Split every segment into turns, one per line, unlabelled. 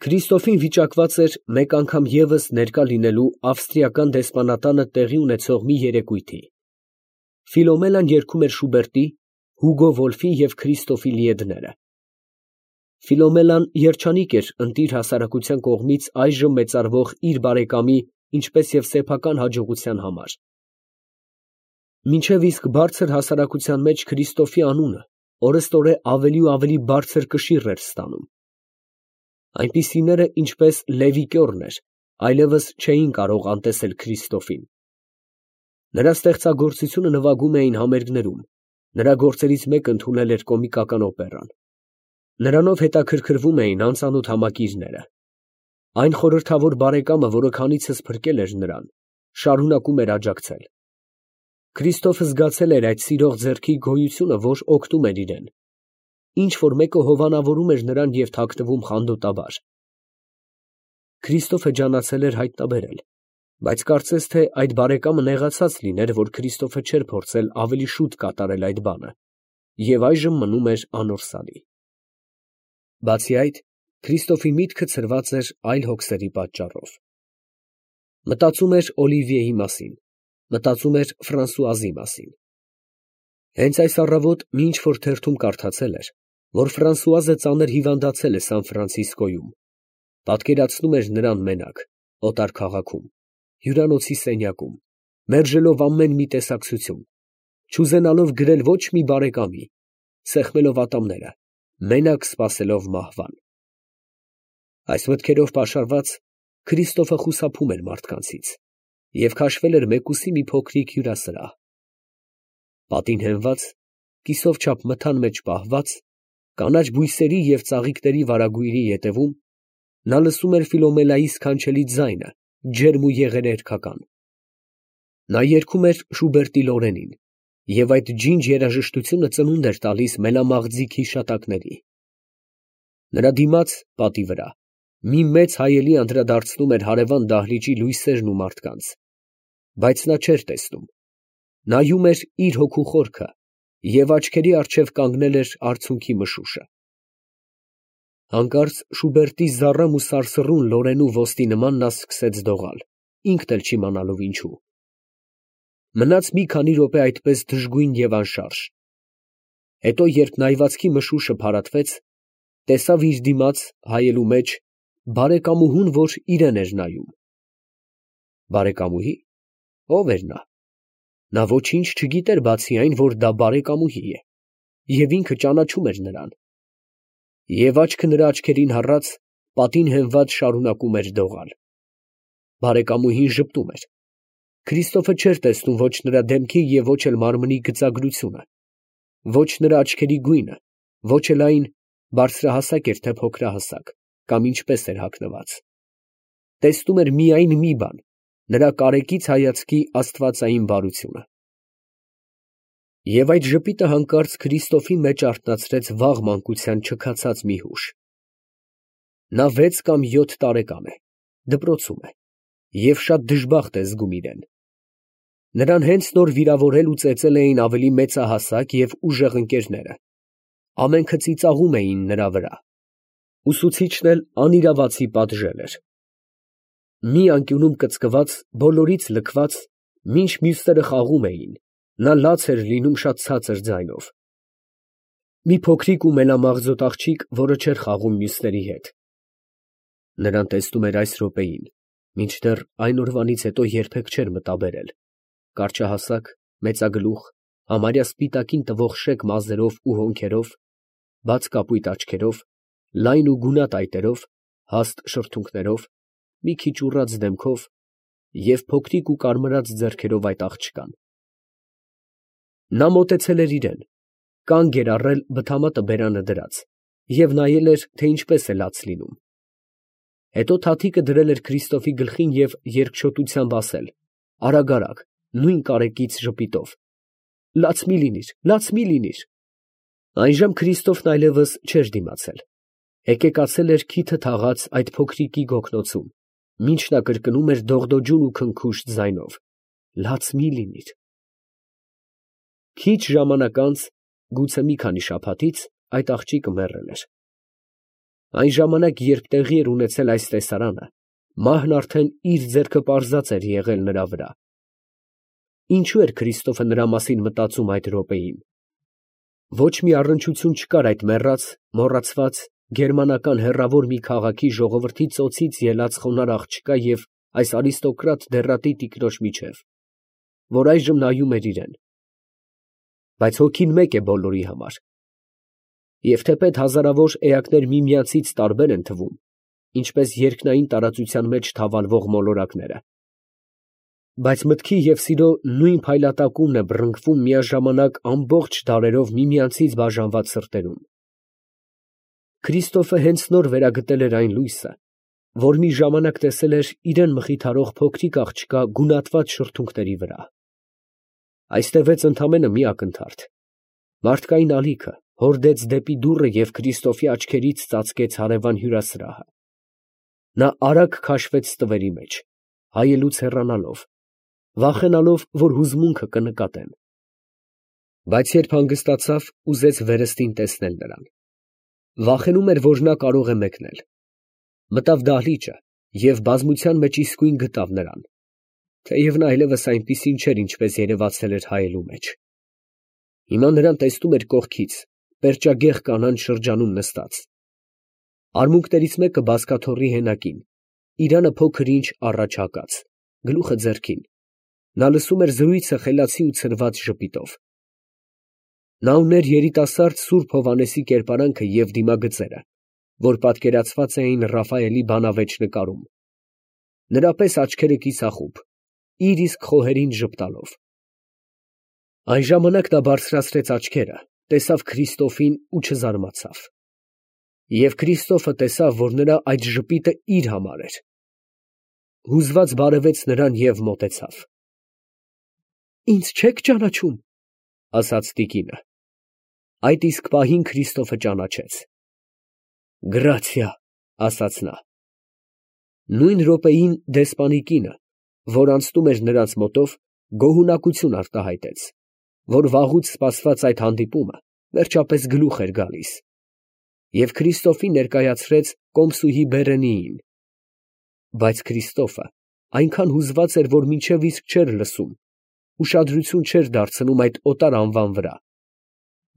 Քրիստոֆին վիճակված էր մեկ անգամ ևս ներկա լինելու ավստրիական դեսպանատանը տեղի ունեցող մի երեկույթի. Ֆիլոմելան երգում էր Շուբերտի, Հուգո Վոլֆի և Քրիստոֆի լիեդները։ Ֆիլոմելան երջանիկ էր ընտիր հասարակության կողմից այժմ մեծարվող իր բարեկամի, ինչպես և սեփական հաջողության համար։ Մինչև իսկ բարձր հասարակության մեջ Քրիստոֆի անունը օրըստօրե ավելի ու ավելի բարձր կշիռ էր ստանում։ Այնպիսիները, ինչպես Լևի Կյորն էր, այլևս չէին կարող անտեսել Քրիստոֆին։ Նրա ստեղծագործությունը նվագում էին համերգներում, նրա գործերից մեկը ընդունել էր կոմիկական օպերան։ Նրանով հետաքրքրվում էին անծանոթ համակիրները։ Այն խորհրդավոր բարեկամը, որը քանիցս փրկել էր նրան, շարունակում էր աջակցել։ Քրիստոֆը զգացել էր այդ սիրող ձեռքի գոյությունը, որ օգնում էր իրեն։ Ինչ որ մեկը հովանավորում էր նրան և թաքնվում խանդոտաբար։ Քրիստոֆը ջանացել էր հայտնաբերել, բայց կարծես թե այդ բարեկամը նեղացած լիներ, որ Քրիստոֆը չէր փորձել ավելի շուտ կատարել այդ բանը, և այժմ մնում էր անորսալի։ Բացի այդ, Քրիստոֆի միտքը ցրված էր այլ հոգսերի պատճառով։ Մտածում էր Օլիվիեի մասին, մտածում էր Ֆրանսուազի մասին։ Հենց այս առավոտ մի ինչ-որ թերթում կարդացել էր, որ Ֆրանսուազը ծանր հիվանդացել է Սան Ֆրանցիսկոյում, պատկերացնում էր նրան մենակ, օտար քաղաքում, հյուրանոցի սենյակում, մերժելով ամեն մի տեսակցություն, չուզենալով գրել ոչ մի բարեկամի, սեղմելով ատամները, մենակ սպասելով մահվան։ Այս մտքերով պաշարված, Քրիստոֆը խուսափում էր մարդկանցից և քաշվել էր մեկուսի մի փոքրիկ հյուրասրահ։ Պատին հենված, կիսով չափ մթան մեջ պահված, կանաչ բույսերի և ծաղիկների վարագույրի ետևում, նա լսում էր Ֆիլոմելայի սքանչելի ձայնը, ջերմ ու եղերերքական։ Նա երգում էր Շուբերտի Լորենին, և այդ ջինջ երաժշտությունը ծնունդ էր տալիս մելամաղձիկ հիշատակների։ Նրա դիմաց, պատի վրա, մի մեծ հայելի անդրադարձնում էր հարևան դահլիճի լույսերն ու մարդկանց, բայց նա չէր տեսնում, նայում էր իր հոգու խորքը և աչքերի առջև կանգնել էր արցունքի մշուշը։ Հանկարծ Շուբերտի զառամ ու սարսռուն Լորենու ոստի նման նա սկսեց դողալ, ինքն էլ չիմանալով ինչու։ Մնաց մի քանի րոպե այդպես դժգույն և անշարժ։ Հետո, երբ նայվածքի մշուշը փարատվեց, տեսավ իր դիմաց, հայելու մեջ, բարեկամուհուն, որ իրան էր նայում։ Բարեկամուհի՞։ Ո՞վ էր նա։ Նա ոչինչ չգիտեր բացի այն, որ դա բարեկամուհի է, և ինքը ճանաչում էր նրան։ Եվ աչքը նրա աչքերին հառած, պատին հենված շարունակում էր դողալ։ Բարեկամուհին ժպտում էր։ Քրիստոֆը չէր տեսնում ոչ նրա դեմքի և ոչ էլ մարմնի գծագրությունը, ոչ նրա աչքերի գույնը, ոչ էլ այն, բարձրահասակ էր թե փոքրահասակ, կամ ինչպես էր հագնված։ Տեսնում էր միայն մի բան՝ նրա կարեկից հայացքի աստվածային բարությունը։ Եվ այդ ժպիտը հանկարծ Քրիստոֆի մեջ արթնացրեց վաղ մանկության չքացած մի հուշ։ Նա 6 կամ 7 տարեկան է, դպրոցում է և շատ դժբախտ է զգում իրեն։ Նրան հենց նոր վիրավորել ու ծեծել էին ավելի մեծահասակ և ուժեղ ընկերները, ամենքը ծիծաղում էին նրա վրա։ Ուսուցիչն էլ անիրավացի պատժել էր։ Մի անկյունում կծկված, բոլորից լքված, մինչ մյուսները խաղում էին, նա լաց էր լինում շատ ցածր ձայնով։ Մի փոքրիկ ու մելամաղձոտ աղջիկ, որը չէր խաղում մյուսների հետ։ Նրան տեսնում էր այս րոպեին, մինչդեռ այն օրվանից հետո երբեք չէր մտաբերել, կարճահասակ, մեծագլուխ, համարյա սպիտակին տվող շեկ մազերով ու հոնքերով, բաց կապույտ աչքերով, լայն ու գունատ այտերով, հաստ շրթունքներով, մի քիչ ուռած դեմքով և փոքրիկ ու կարմրած ձեռքերով այդ աղջկան։ Նա մոտեցել էր իրան, կանգ էր առել բթամատը բերանը դրած և նայել էր, թե ինչպես է լաց լինում։ Հետո թաթիկը դրել էր Քրիստոֆի գլխին և երկչոտությամբ ասել, արագ, նույն կարեկից ժպիտով. «Լաց մի լինիր, լաց մի լինիր»։ Այժմ Քրիստոֆն այլևս չէր դիմացել, հեկեկացել էր քիթը թաղած այդ փոքրիկի գոգնոցում, մինչ նա կրկնում էր դողդոջուն ու քնքուշտ ձայնով. «Լաց մի լինիր»։ Քիչ ժամանակ անց, գուցե մի քանի շաբաթից, այդ աղջիկը մեռել էր։ Այն ժամանակ, երբ տեղի էր ունեցել այս տեսարանը, մահն արդեն իր ձեռքը պարզած էր եղել նրա վրա։ Ինչու էր Քրիստոֆը նրա մասին մտածում այդ րոպեին։ Ոչ մի առնչություն չկար այդ մեռած, մոռացված, գերմանական հեռավոր մի քաղաքի ժողովրդի ծոցից ելած խոնարհ աղջկա և այս արիստոկրատ դեռատի տիկնոջ միջև, որ այժմ նայում էր իրան։ Բայց հոգին մեկ է բոլորի համար։ Եվ թեպետ հազարավոր էակներ միմյանցից տարբեր են թվում, ինչպես երկնային տարածության մեջ թավալվող մոլորակները, բայց մտքի և սիրո նույն փայլատակումն է բռնկվում միաժամանակ ամբողջ դարերով միմյանցից բաժանված սրտերում։ Քրիստոֆը հենց նոր վերագտել էր այն լույսը, որ մի ժամանակ տեսել էր իրան մխիթարող փոքրիկ աղջկա գունատված շրթունքների վրա։ Այս տևեց ընդամենը մի ակնթարթ։ Մարդկային ալիքը հորդեց դեպի դուռը և Քրիստոֆի աչքերից ծածկեց հարևան հյուրասրահը։ Նա արագ քաշվեց ստվերի մեջ, հայելուց հեռանալով, վախենալով, որ հուզմունքը կնկատեն։ Բայց երբ հանգստացավ, ուզեց վերստին տեսնել նրան։ Վախենում էր, որ նա կարող է մեկնել։ Մտավ դահլիճը և բազմության մեջ իսկույն գտավ նրան, թեև նա այլևս այնպիսին չէր, ինչպես երևացել էր հայելու մեջ։ Հիմա նրան տեսնում էր կողքից, պերճագեղ կանանց շրջանում նստած։ Արմունկներից մեկը բազկաթոռի հենակին, իրանը փոքր-ինչ առաջ հակած, գլուխը ձեռքին։ Նա լսում էր զրույցը խելացի ու ցրված ժպիտով։ Նա ուներ երիտասարդ Սուրբ Հովհաննեսի կերպարանքը և դիմագծերը, որ պատկերացված էին Ռաֆայելի բանավեճ նկարում։ Նրա պես աչքերը կիսախուբ, իր իսկ խոհերին ժպտալով։ Այն ժամանակ նա բարձրացրեց աչքերը, տեսավ Քրիստոֆին ու չզարմացավ։ Եվ Քրիստոֆը տեսավ, որ նրա այդ ժպիտը իր համար էր։ Հուզված բարևեց նրան և մոտեցավ։ «Ինձ չե՞ք ճանաչում», ասաց տիկինը։ Այդ իսկ պահին Քրիստոֆը ճանաչեց։ «Գրացիա», ասաց նա։ Նույն րոպեին դեսպանի կինը, որ անցնում էր նրանց մոտով, գոհունակություն արտահայտեց, որ վաղուց սպասված այդ հանդիպումը վերջապես գլուխ էր գալիս, և Քրիստոֆին ներկայացրեց կոմսուհի Բերենիին։ Բայց Քրիստոֆը այնքան հուզված էր, որ մինչև իսկ չէր լսում, ուշադրություն չէր դարձնում այդ օտար անվան վրա։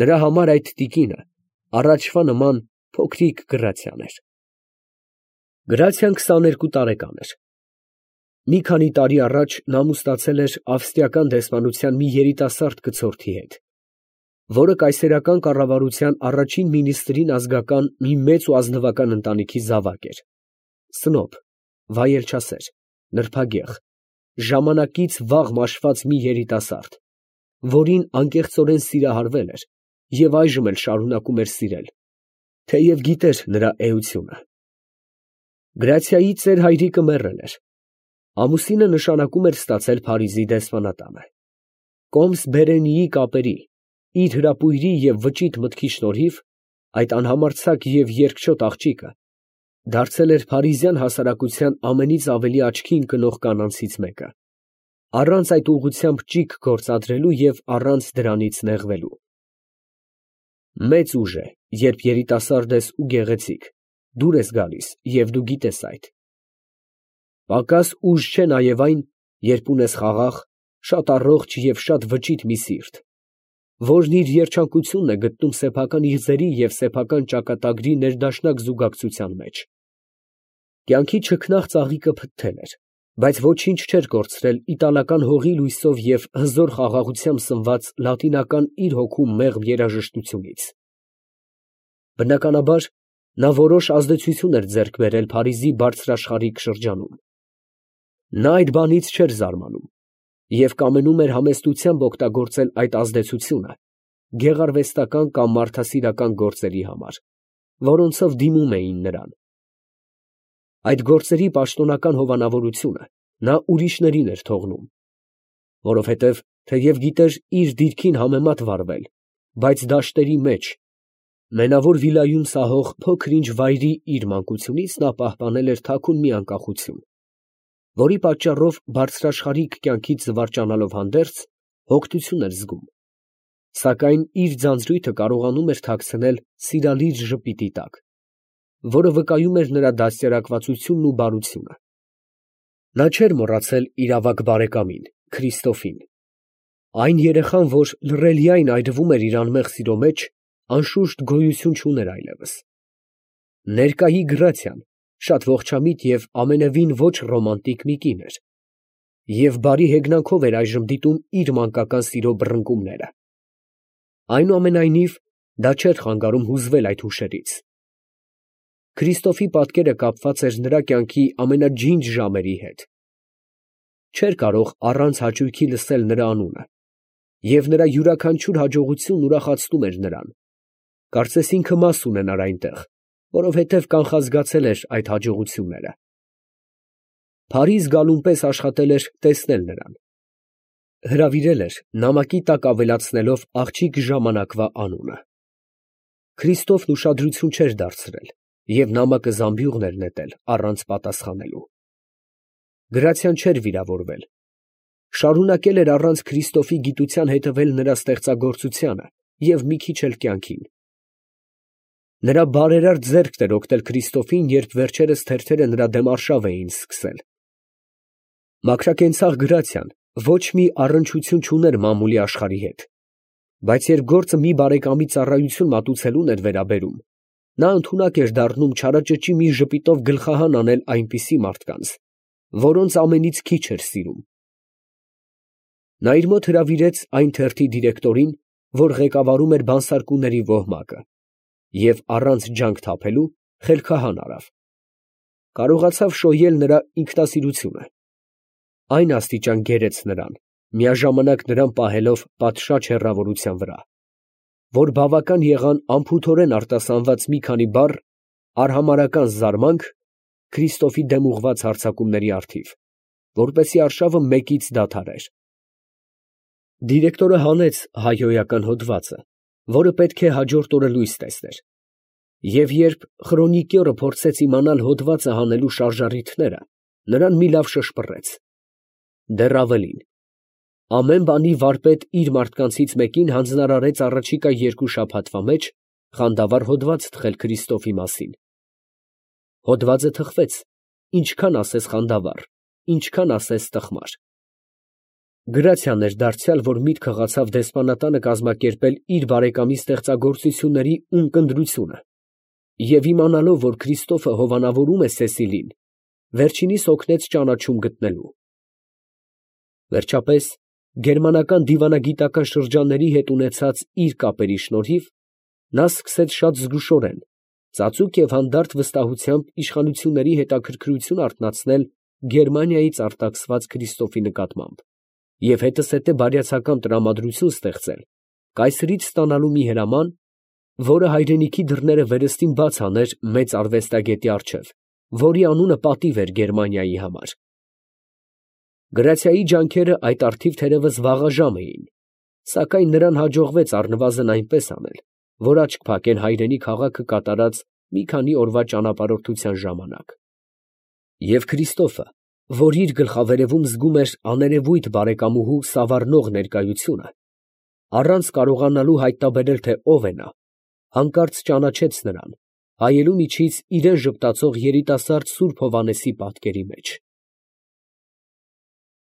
Նրա համար այդ տիկինը առաջվա նման փոքրիկ Գրացիան էր։ Գրացիան 22 տարեկան էր։ Մի քանի տարի առաջ նա ամուսնացել էր ավստրիական դեսպանության մի երիտասարդ կցորդի հետ, որը կայսերական կառավարության առաջին մինիստրին ազգական մի մեծ ու ազնվական ընտանիքի զավակ էր։ Սնոբ, վայելչասեր, նրբագեղ, ժամանակից վաղ մաշված մի երիտասարդ, որին անկեղծորեն սիրահարվել էր և այժմ էլ շարունակում էր սիրել, թեև գիտեր նրա էությունը։ Գրացիայի ծեր հայրիկը մեռել էր։ Ամուսինը նշանակում էր ստացել Փարիզի դեսպանատանը։ Կոմս Բերենիի կապերի, իր հրապույրի և վճիտ մտքի շնորհիվ այդ անհամարձակ և երկչոտ աղջիկը դարձել էր փարիզյան հասարակության ամենից ավելի աչքի ընկնող կանանցից մեկը, առանց այդ ուղղությամբ ճիգ գործադրելու և առանց դրանից նեղվելու։ Մեծ ուժ է, երբ երիտասարդ ես ու գեղեցիկ, դուր ես գալիս և դու գիտես այդ։ Պակաս ուժ չէ նաև այն, երբ ունես խաղաղ, շատ առողջ և շատ վճիտ մի սիրտ, որն իր երջանկությունն է գտնում սեփական իղձերի և սեփական ճակատագրի ներդաշնակ զուգակցության մեջ։ Կյանքի չքնաղ ծաղիկը փթթել էր, բայց ոչինչ չէր կորցրել իտալական հողի լույսով և հզոր խաղաղությամբ սնված լատինական իր հոգու մեղմ երաժշտությունից։ Բնականաբար, նա որոշ ազդեցություն էր ձեռք բերել Փարիզի բարձրաշխարհիկ շրջանում։ Նա այդ բանից չէր զարմանում և կամենում էր համեստությամբ օգտագործել այդ ազդեցությունը գեղարվեստական կամ մարդասիրական գործերի համար, որոնցով դիմում էին նրան։ Այդ գործերի պաշտոնական հովանավորությունը նա ուրիշներին էր թողնում, որովհետև թեև գիտեր իր դիրքին համեմատ վարվել, բայց դաշտերի մեջ, մենավոր վիլայում սահող փոքր-ինչ վայրի իր մանկությունից նա պահպանել էր թաքուն մի անկախություն, որի պատճառով բարձրաշխարհիկ կյանքից զվարճանալով հանդերձ, հոգնություն էր զգում, սակայն իր ձանձրույթը կարողանում էր թաքցնել սիրալիր ժպիտի տակ, որը վկայում էր նրա դաստիարակվածությունն ու բարությունը։ Նա չէր մոռացել իր ավագ բարեկամին, Քրիստոֆին, այն երեխան, որ լռելիայն այրվում էր իր անմեղ սիրո մեջ, անշուշտ գոյություն չուներ այլևս։ Ներկայի Գրացիան շատ ողջամիտ և ամենևին ոչ ռոմանտիկ մի կին էր, և բարի հեգնանքով էր այժմ դիտում իր մանկական սիրո բռնկումները։ Այնուամենայնիվ, դա չէր խանգարում հուզվել այդ հուշերից։ Քրիստոֆի պատկերը կապված էր նրա կյանքի ամենաջինջ ժամերի հետ։ Չէր կարող առանց հաճույքի լսել նրա անունը, և նրա յուրաքանչյուր հաջողությունն ուրախացնում էր նրան, կարծես ինքը մաս ունենար այնտեղ, որովհետև կանխազգացել էր այդ հաջողությունները։ Փարիզ գալուն պես աշխատել էր տեսնել նրան։ Հրավիրել էր նամակի տակ ավելացնելով աղջիկ ժամանակվա անունը։ Քրիստոֆն ուշադրություն չէր դարձրել և նամակը զամբյուղն էր նետել առանց պատասխանելու։ Գրացիան չէր վիրավորվել։ Շարունակել էր առանց Քրիստոֆի գիտության հետևել նրա ստեղծագործությանը և մի քիչ էլ կյանքին։ Նրա բարերար ձեռքն էր օգնել Քրիստոֆին, երբ վերջերս թերթերը նրա դեմ արշավ էին սկսել։ Մաքրակենցաղ Գրացիան ոչ մի առնչություն չուներ մամուլի աշխարհի հետ, բայց երբ գործը մի բարեկամի ծառայություն մատուցելուն էր վերաբերում, նա ընդունակ էր դառնում չարաճճի մի ժպիտով գլխահան անել այնպիսի մարդկանց, որոնց ամենից քիչ էր սիրում։ Նա իր մոտ հրավիրեց այն թերթի դիրեկտորին, որ ղեկավարում էր բանսարկուների ոհմակը, և առանց ջանք թափելու խելքահան արավ։ Կարողացավ շոյել նրա ինքնասիրությունը։ Այն աստիճան գերեց նրան, միաժամանակ նրան պահելով պատշաճ հեռավորության վրա, որ բավական եղան անփութորեն արտասանված մի քանի բառ արհամարհական զարմանք Քրիստոֆի դեմ ուղղված հարձակումների առթիվ, որպեսզի արշավը մեկից դադարեր։ Դիրեկտորը հանեց հայհոյական հոդվածը, որը պետք է հաջորդ օրը լույս տեսներ, և երբ խրոնիկյորը փորձեց իմանալ հոդվածը հանելու շարժառիթները, նրան մի լավ շշպռեց։ Դեռ ավելին, ամեն բանի վարպետ իր մարդկանցից մեկին հանձնարարեց առաջիկա 2 շաբաթվա մեջ խանդավառ հոդված թխել Քրիստոֆի մասին։ Հոդվածը թխվեց, ինչքան ասես խանդավառ, ինչքան ասես տխմար։ Գրացիան էր դարձյալ, որ միտքը ղացավ դեսպանատանը կազմակերպել իր բարեկամի ստեղծագործությունների ունկնդրությունը, և իմանալով, որ Քրիստոֆը հովանավորում է Սեսիլին, վերջինիս օգնեց ճանաչում գտնելու։ Վերջապես, գերմանական դիվանագիտական շրջանների հետ ունեցած իր կապերի շնորհիվ, նա սկսեց շատ զգուշորեն, ծածուկ և հանդարտ վստահությամբ իշխանությունների հետաքրքրություն արթնացնել Գերմանիայից արտաքսված Քրիստոֆի նկատմամբ և հետզհետե բարյացակամ տրամադրություն ստեղծել կայսրից ստանալու մի հրաման, որը հայրենիքի դռները վերստին բաց աներ մեծ արվեստագետի առջև, որի անունը պատիվ էր Գերմանիայի համար։ Գրացիայի ջանքերը այդ առթիվ թերևս վաղաժամ էին, սակայն նրան հաջողվեց առնվազն այնպես անել, որ աչք փակեն հայրենի քաղաքը կատարած մի քանի օրվա ճանապարհորդության ժամանակ։ Եվ Քրիստոֆը, որ իր գլխավերևում զգում էր աներևույթ բարեկամուհու սավառնող ներկայությունը, առանց կարողանալու հայտնաբերել, թե ով է նա, հանկարծ ճանաչեց նրան, հայելու միջից իրան ժպտացող երիտասարդ սուրբ Հովհաննեսի պատկերի մեջ։